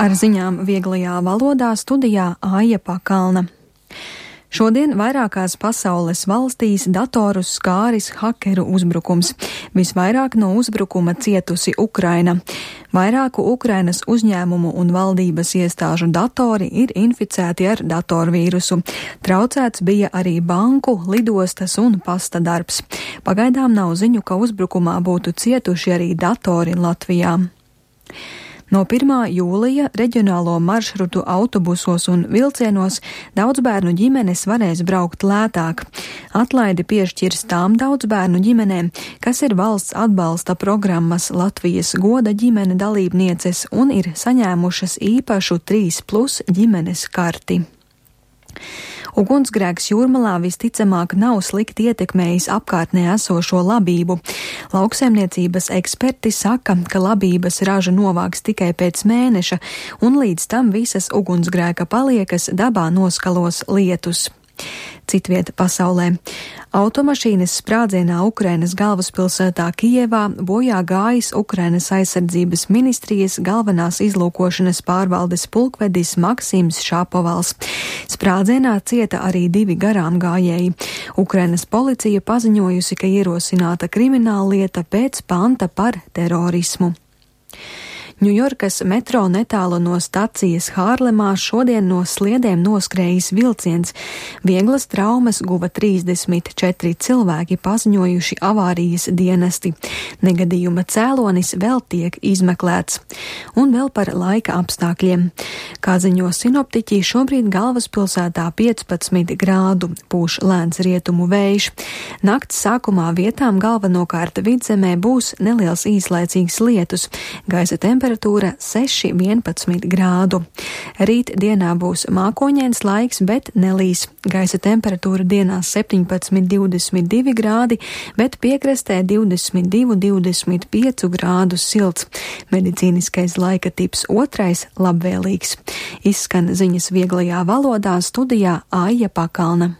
Ar ziņām vieglajā valodā studijā Aija Pakalna. Šodien vairākās pasaules valstīs datorus skāris hakeru uzbrukums. Visvairāk no uzbrukuma cietusi Ukraina. Vairāku Ukrainas uzņēmumu un valdības iestāžu datori ir inficēti ar datorvīrusu. Traucēts bija arī banku, lidostas un pasta darbs. Pagaidām nav ziņu, ka uzbrukumā būtu cietuši arī datori Latvijā. No 1. jūlija reģionālo maršrutu autobusos un vilcienos daudzbērnu ģimenes varēs braukt lētāk. Atlaidi piešķirs tām daudzbērnu ģimenēm, kas ir valsts atbalsta programmas Latvijas goda ģimene dalībnieces un ir saņēmušas īpašu 3+ ģimenes karti. Ugunsgrēks Jūrmalā visticamāk nav slikti ietekmējis apkārtnē esošo labību. Lauksaimniecības eksperti saka, ka labības raža novāks tikai pēc mēneša, un līdz tam visas ugunsgrēka paliekas dabā noskalos lietus. Citvieta pasaulē. Automašīnas sprādzienā Ukrainas galvaspilsētā Kijevā bojā gājis Ukrainas aizsardzības ministrijas galvenās izlūkošanas pārvaldes pulkvedis Maksims Šapovals. Sprādzienā cieta arī 2 garām gājēji. Ukrainas policija paziņojusi, ka ierosināta krimināllieta pēc panta par terorismu. Ņujorkas metro netālu no stacijas Hārlemā šodien no sliedēm noskrējis vilciens. Vieglas traumas guva 34 cilvēki, paziņojuši avārijas dienesti. Negadījuma cēlonis vēl tiek izmeklēts. Un vēl par laika apstākļiem. Kā ziņo sinoptiķi, šobrīd galvaspilsētā 15 grādu, pūš lēns rietumu vējš. Nakts sākumā vietām galvenokārt vidzemē būs neliels īslaicīgs lietus. Gaisa temperatūra 6–11 grādu. Rīt dienā būs mākoņains laiks, bet nelīs. Gaisa temperatūra dienās 17–22 grādi, bet piekrastē 22–25 grādus silts. Medicīniskais laika tips 2 labvēlīgs. Izskan ziņas vieglajā valodā studijā Aija Pakalna.